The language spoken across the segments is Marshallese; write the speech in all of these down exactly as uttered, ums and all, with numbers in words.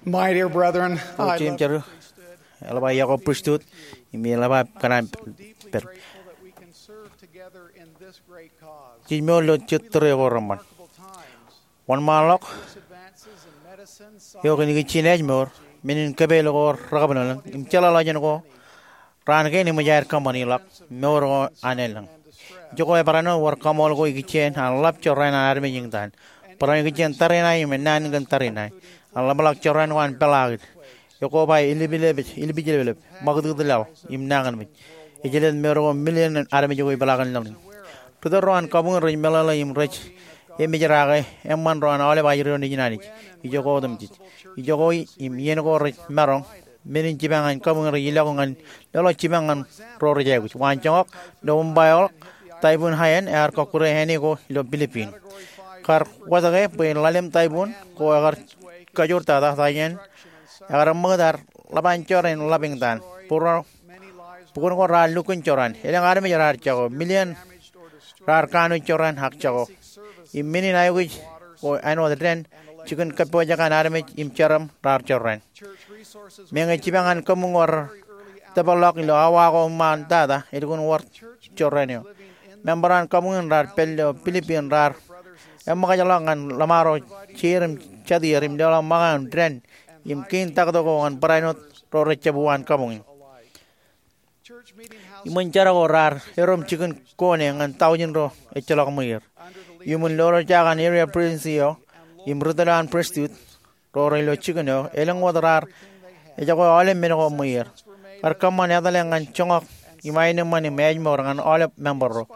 My dear brethren, I love the priesthood. Eḷap aō iọkwe pristut, im eḷap aō kōṇaan pād. Jej mour ilo jet tōre ko reṃṃan. Wōnṃaanḷọk eo kōn ikijjien ājmour, men in kōpeḷḷọk ko rekabwilōñlōñ, im jeḷāḷọkjeṇ ko raan kein eṃōj aer kōṃṃani ḷọk mour ko an elōñ. Ijoko ebarāinwōt wōr kaṃool ko ikijjien an ḷap jorrāān an armej eñtaan. Barāinwōt ikijjien tariṇae im ennaan kōn tariṇae an ḷapḷọk jorrāān ko an peḷaakid. Ekoba ilipilepej, ilipijlepelep, ṃakūtkūt laḷ, im nañinmej. Ejlep mour ko milion armej ko ipeḷaakin lōñiñ. Ri-tōl ro an kabuñ rej meḷeḷe im rej emejrake eṃṃan ro an aolep ajri ro nejin Anij. Ijoko otemjej. Ijoko im iien ko rej maroñ, men in jipañ an kabuñ rej ilọk ñan leḷọk jipañ ñan ro rej aikuj. Waan joñak, Nobōṃba eḷọk, Taibun Haiyan ear kọkkure āne ko ilo Pilipin. Kar wōtke bwe ḷalem taibun ko ekar kajoortata, Haiyan ekar ṃakūt ad ḷap an jorrāān ḷap eñtaan. Bukun ko raar lukkuun jorrāān. Elōñ armej raar jako. Milion raar kanooj jorrāān ak jako. Im men in aikuj ko āinwōt dān, jikin kappojak an armej im jeram raar jorrāān. Meñe jipañ an kabuñ ko rej tōparḷọk ilo awa ko iṃaan tata, elukkuun wōr jorrāān eo. Member an kabuñ in raar pād ilo Pilipin raar eṃōkajḷọk ñan ḷōṃaro jeir im jatier im leḷọk ṃōñā im dān im kein taktō ko ñan barāinwōt ro rej jab uwaan kabuñ in. Iṃōn jar ko raar erom jikin kone ñan taujin ro ejjeḷọk ṃweier. Iuṃwin lolorjake an area presidency eo im ri-tōl eo an pristut, ro rej ilo jikin eo, elōñ wōt raar ejako aolep men ko ṃweier. Kar kōṃṃan etale ñan joñak im aenōṃṃan im ājmour ñan aolep member ro.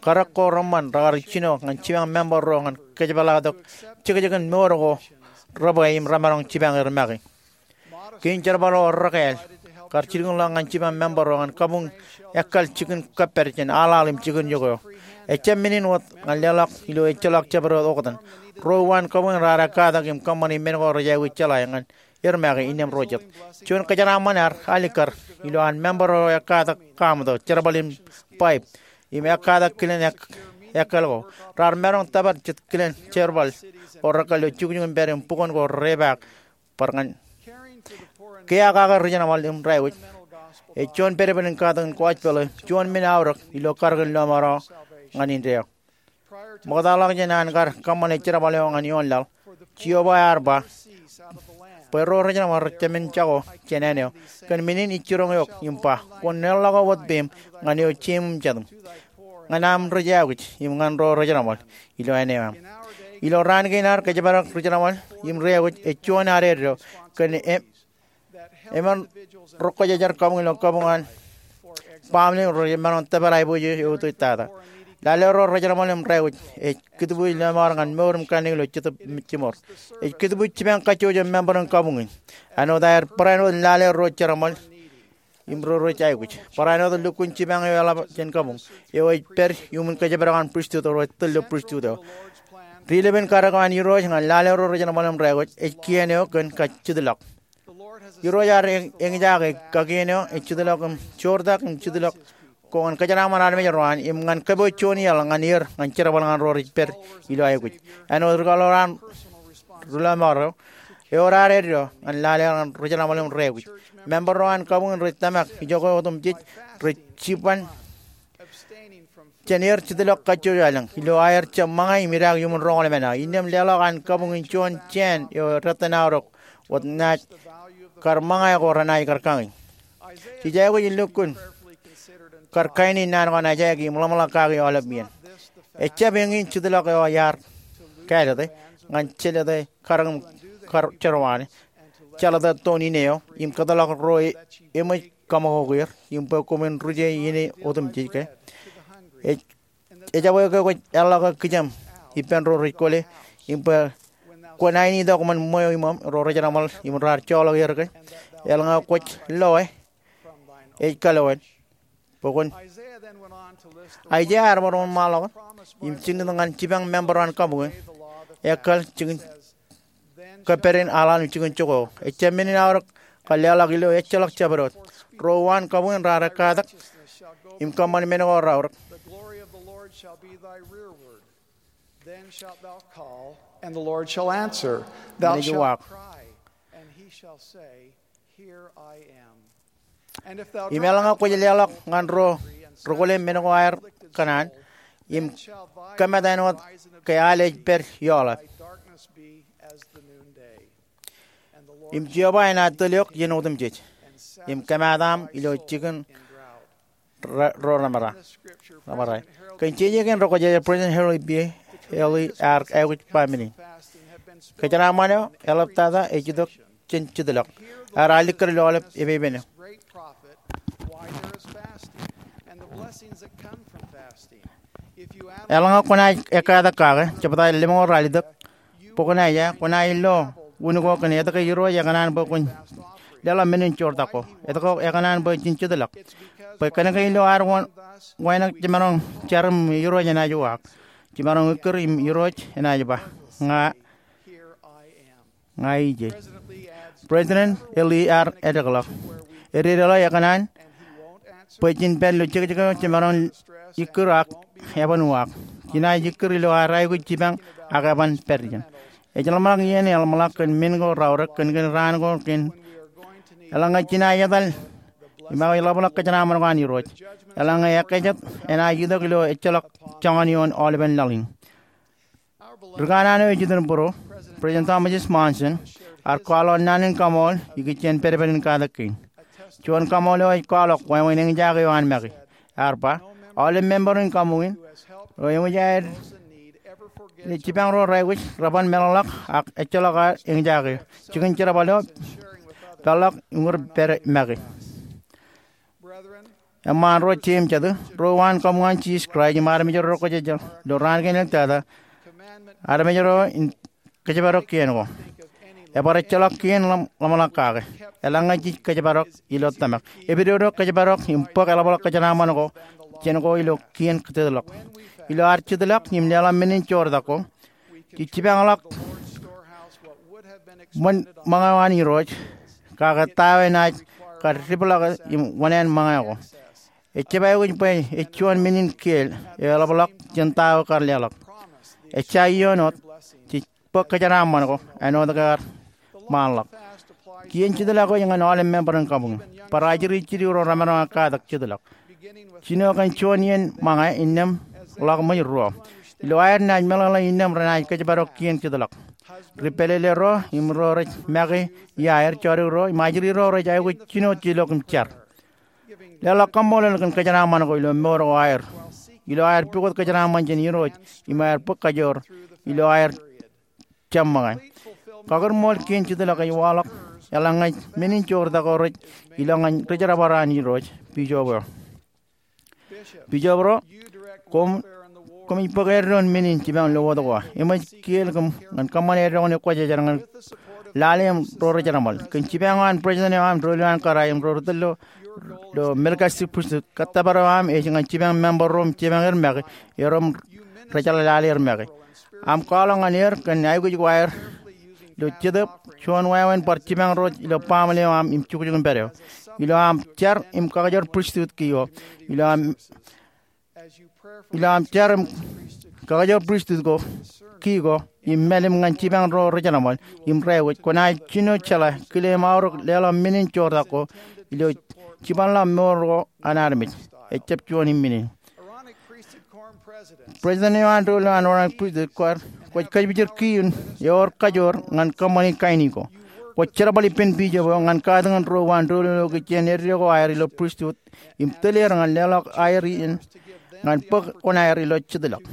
Karōk ko reṃṃan rekar jino ñan jipañ member ro ñan kōjepḷaaktok jekjekin mour ko rebwe im remaroñ jipañ er make. Kein jerbal ro rekāāl kar jilkinḷọk ñan jipañ member ro ñan kabuñ ekkal jikin kōppād jān aḷaḷ im jikin iọkwe eo. Ejjab men in wōt ñan leḷọk ilo ejjeḷọk jabdewōt oktan. Ro uwaan kabuñ raar ekkatak im kōṃṃani men ko rej aikuj jeḷā ñan er make innām ro jet. Juon kōjeraaṃṃan ear alikkar ilo an member ro ekkatak kaṃto, jerbal im paip, im ekkatak kilen ek-, ekkal ko. Raar maroñ tōpar jet kilen jerbal ko rekkal ilo jukjuk im pād im bukwōn ko repaak bar ñan. Kiiō kake ri-jerbal im ri-aikuj ej juon pedped in katak in gospel eo, juon men aorōk ilo karōk in lọmọọr eo ñan indeeo. Ṃoktaḷọk jān an kar kōṃṃane jerbal eo ñan ioon laḷ, Jeova ear ba bwe ro ri-jerbal rej jab men jako jān āne eo. Kōn men in ij jiroñ eok im ba, kwōn leḷḷọk wōt peiṃ ñan eo jeim im jatiṃ, ñan aṃ ri-aikuj im ñan ro ri-jerbal ilo āne eo aṃ. Ilo raan kein ad kōjparok ri-jerbal im ri-aikuj ej juon ad eddo kōn e-, eṃṃan ri-kwōjarjar kabuñ ilo kabuñ an baaṃle rej maroñ tōpar aiboojoj eutiej tata. Lale ro ri-jerbal im ri-aikuj ej kūtbuuj lọmọọr ñan mour im kanniōk ilo Jetōb Jimor. Ej kūtbuuj jipañ kajjojo member in kabuñ in. Āinwōt aer barāinwōt lale ro jerbal im ro rej aikuj. Barāinwōt lukkuun jipañ eo eḷap jān kabuñ eo ej pād iuṃwin kōjparok an pristut ro rej tōl ilo pristut eo. Ri-lōpen karōk eo an Irooj ñan lale ro ri-jerbal im ri-aikuj ej kien eo kōn kajjitḷọk. Irooj ear eñ-, eñjake kakien eo ej jitḷọk im joortak im jitḷọk ko ñan kōjeraaṃṃan armej ro an im ñan kōpooj juon iaḷ ñan er ñan jerbal ñan ro rej pād ilo aikuj. Āinwōt ri-kaḷoor an ri-lọmọọr eo, ewōr ad eddo ñan lale ñan ri-jerbal im ri-aikuj. Member ro an kabuñ in rej tōmak ijoko otemjej rej jiban jān er jitḷọk kajjojo elōñ ilo aer jab ṃōñā im idaak iuṃwin roñoul emān aō. Innām leḷọk an kabuñ in juon jāān eo eddo ṇa aorōk wōt naaj kar ṃōñā ko renaaj kar kañin. Jej aikuj in lukkuun kar kain in naan ko an Aiseia im ḷōmṇak kaki aolep iien. Ejjab eñin jitḷọk eo iar kālōte ñan jelōte karōk im kar jerwaan, jelōte toon ine eo im kōtḷọk ro e-, eṃōj kaṃakoko er im bwe koṃwin rije ine otemjej ke. Ej ejabwe ke kwōj eḷḷọke kijem ippān ro rej kwōle, im bwe kwōn ainitok ṃōn ṃweo iṃōṃ ro ri-jerbal im raar joḷọk er ke, eḷaññe kwōj loe, ej kaloe bwe kwōn. Aiseia ear bar wōnṃaanḷọk im jilkintok ñan jipañ member ro an kabuñ in ekkal jikin kōppād in aḷaḷ im jikin jokwe eo. Ejjab men in aorōk kar leḷọk ilo ejjeḷọk jabdewōt. Ro uwaan kabuñ in raar ekkatak im kōṃṃan men ko raorōk. The glory of the Lord shall be thy rearward. Then shalt thou call, and the Lord shall answer. Thou shalt cry, and he Im eḷaññe kwōj leḷọk ñan ro rūkōle men ko aer kōṇaan, im kōmat āinwōt ke al ej pād ioḷap, im Jeova enaaj tōl eok iien otemjej, im kōmat aṃ ilo jikin ro remarai. Kōn jeje kein ro kwōjeje, President Henry B. Ealy ear aikuj ba men in. Kōjeraaṃṃan eo eḷaptata ej itok jān jitḷọk. Ear alikkar ilo aolep epeipen eo. Eḷaññe kwōnaaj ekkatak kake, jebta lemñoul ralitōk, bwe kwōnaaj, kwōnaaj lo wūn ko kōn etke Irooj ekōṇaan bwe kwōn leḷọk men in joortak ko. Etke ekōṇaan bwe jen jitḷọk? Bwe kōnke ilo ad wānōk jiṃaroñ jar im Irooj enaaj uwaak. Jiṃaroñ ikkūr im Irooj enaaj ba, ña, ña ij e. President Ealy ear eddekḷọk, ededeḷọk ekōṇaan bwe jen pād ilo jekjek eo jiṃaroñ ikkūr ak eban uwaak. Jenaaj ikkūr ilo ad aikuj jipañ ak eban pād ijin. Ej ḷōmṇak iien eḷmāḷọk kōn men ko raorōk kōn kōn raan ko kōn eḷaññe jenaaj etal im aikuj ḷapḷọk kōjeraaṃṃan ko an Irooj. Eḷaññe ekkā jet enaaj itok ilo ejjeḷọk joñan ioon aolepen laḷ in. Ri kanaan eo ej itok būruō, President Thomas S. Monson, ear kwaḷọk naan in kaṃool ikijjien pedped in katak kein. Juon kaṃool eo ej kwaḷọk wāween eñjake eo an make. Ear ba, aolep member in kaṃukin ro eṃōj aer jipañ ro raikuj reban meḷọkḷọk ak ejjeḷọk aer eñjake eo. Jikin jerbal eo peḷḷọk uñūr pād make. Eṃṃaan ro jeiū im jatū, ro uwaan kaṃool an Jisōs Kraist im armej ro rekwōjarjar ilo raan kein eltata, armej ro in kōjparok kien ko. Ebar ejjeḷọk kien ḷōmṇak kake eḷaññe jej kōjparok ilo tōmak. Epidodo kōjparok im bōk eḷapḷọk kōjeraaṃṃan ko jān ko ilo kien jitḷọk. Ilo ad jitḷọk im leḷọk men in joortak ko, jej jipañḷọk ṃōñā eo an Irooj, kake ta eo enaaj kar dipḷọke im wōṇāān ṃōñā ko. Ejjab aikuj bwe ej juon men in kiiō eo eḷapḷọk jān ta eo kar leḷọk. Ejja iiō āinwōt, jej bōk kōjeraaṃṃan ko āinwōt ke ear ṃaanḷọk. Kien jitḷọk eo ej ñan aolep member in kaṃukin. Bar ajri jidik ro remaroñ aō katak jitḷọk. Jino kōn juon iien ṃōñā innām ḷọk ṃōj ruo. Ilo aer naaj meḷeḷe innām renaaj kōjparok kien jitḷọk. Ri pālele ro im ro rej make iaer, jodikro im ajri ro rej aikuj jino jilok im jar. Leḷọk kaṃṃoolol kōn kōjeraaṃṃan ko ilo mour ko aer, ilo aer pukot kōjeraaṃṃan jān Irooj im aer bōk kajoor ilo aer jab ṃōñā. Kakūrṃool kien jitḷọk ej waḷọk eḷaññe men in joortak ko rej ilọk ñan ri jerbal ro an Irooj, bishop eo. Bishop ro, koṃ, koṃij bōk eddoin men in jipañ lowōt ko aō. Eṃōj kiiō kōm ñan kōṃṃane eddoin ekwōjarjar ñan lale im ro ri jerbal. Kōn jipañ eo an president eo aṃ, doulul eo an kōrā im ro ri tōl ilo Melchizedek Priesthood, kōttōpar eo aṃ ej ñan jipañ member ro im jipañ er make, er ro im rej jeḷā lale er make. Aṃ kwaḷọk ñan er kōn aikuj ko aer ilo Jetōb, juon wāween bar jipañ ro ilo baaṃle eo aṃ im jukjuk in pād eo. Ilo aṃ jar im kakajoor priesthood kiiō, ilo aṃ, ilo aṃ jar im kakajoor priesthood ko kiiō im mālim ñan jipañ ro ri jerbal im ri aikuj, kwōnaaj jino jeḷā, kile im aorōk leḷọk men in joortak ko ilo jipañḷọk mour ko an armej. Ejjab juon im men in. President eo an doulul eo an Aaronic Priesthood kwaar, kwōj kōjpijir kiiō in ewōr kajoor ñan kōṃṃani kain ko. Kwōj jerbal ippān bishop eo ñan katakin ro uwaan doulul eo ikijjien eddo ko aer ilo priesthood im tōl er ñan leḷọk aer iien ñan bōk koṇaer ilo jitḷọk.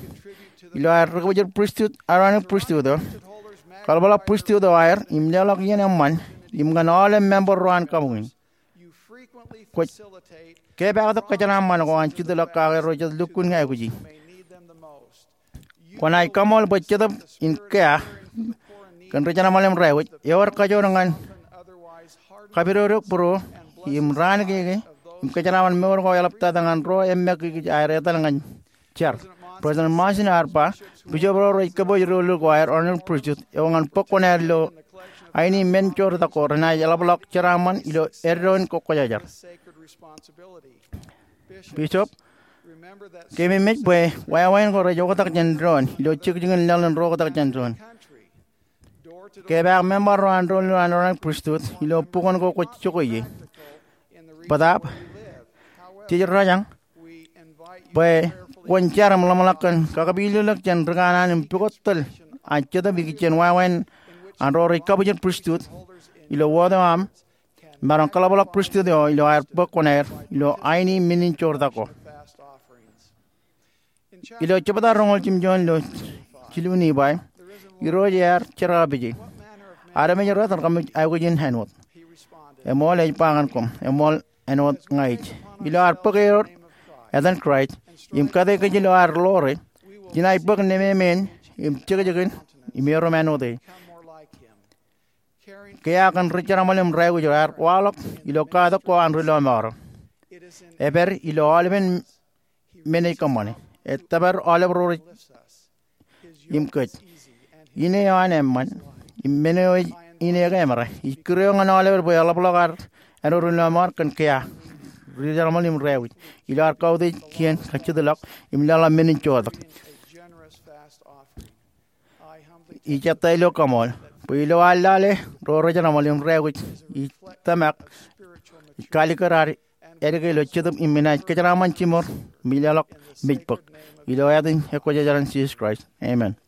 Ilo aer ri kōjpijir priesthood, Aaronic Priesthood eo, kaḷapḷọk priesthood eo aer im leḷọk iien eṃṃan im ñan aolep member ro an kaṃukin. Kwōj kepaaktok kōjeraaṃṃan ko an jitḷọk kake ro jet lukkuun aikuji. Kwōnaaj kaṃool bwe Jetōb in kea kōn ri jerbal im ri aikuj ewōr kajoor ñan kapidodo būruō im raan keikei im kōjeraaṃṃan mour ko eḷaptata ñan ro emmākiki aer etal ñan jar. President Monson ear ba, bishop ro rej kōpooj doulul ko aer Aaronic Priesthood eo ñan bōk koṇaer ilo aini men joortak ko renaaj eḷapḷọk jeraaṃṃan ilo eddoin ekwōjarjar. Bishop, keememej bwe wāween ko rej oktak jān doon ilo jekjekin laḷ in ro oktak jān doon. Ke epaak member ro an doulul an Aaronic Pristut ilo bukwōn ko kwōj jokwe ie, bōtaab jej rōjañ bwe kwōn jar im ḷōmṇak kōn kakapilōklōk jān ri kanaan im pukot tōl an Jetōb ikijjien wāween an ro rej kabujen pristut ilo wōt eo aṃ, maroñ kōḷapḷọk pristut eo ilo aer bōk kuṇaer ilo aini men in joortak ko. Ilo jebta roñoul jimjuon ilo jilu Nifai, Irooj ear jerkakpeje, armej ro etan kōmij aikuj in āinwōt? Eṃool, ej ba ñan koṃ, eṃool, āinwōt ña ij. Ilo ad bōk eor etan Kraist im kate kōj ilo ad ḷoore, jenaaj bōk nememeen im jekjeken im erom āinwōt e. Kea kōn ri jeraṃōl im ri aikuj ro ear waḷọk ilo katak ko an ri lọmọọr ro. Epād ilo aolepen men ej kōṃṃane. Etōpar aolep ro rej im kōj. Ine eo an eṃṃan im men eo ej ine ke emera. Ij kūr eō ñan aolepen bwe eḷapḷọk ad āinwōt ri lọmọọr kōn kea, ri jeraṃōl im ri aikuj, ilo ad kautiej kien kajjitḷọk im leḷọk men in joortak. Ij ettā ilo kaṃool bwe ilo ad lale ro ri jeraṃōl im ri aikuj, ij tōmak, ij kaalikkar ad āliktata ilo Jetōb im inaaj kōjeraaṃṃan jiṃor im leḷọk mej bōk. Ilo ātin Ekwōjarjar in Jisōs Kraist, amen.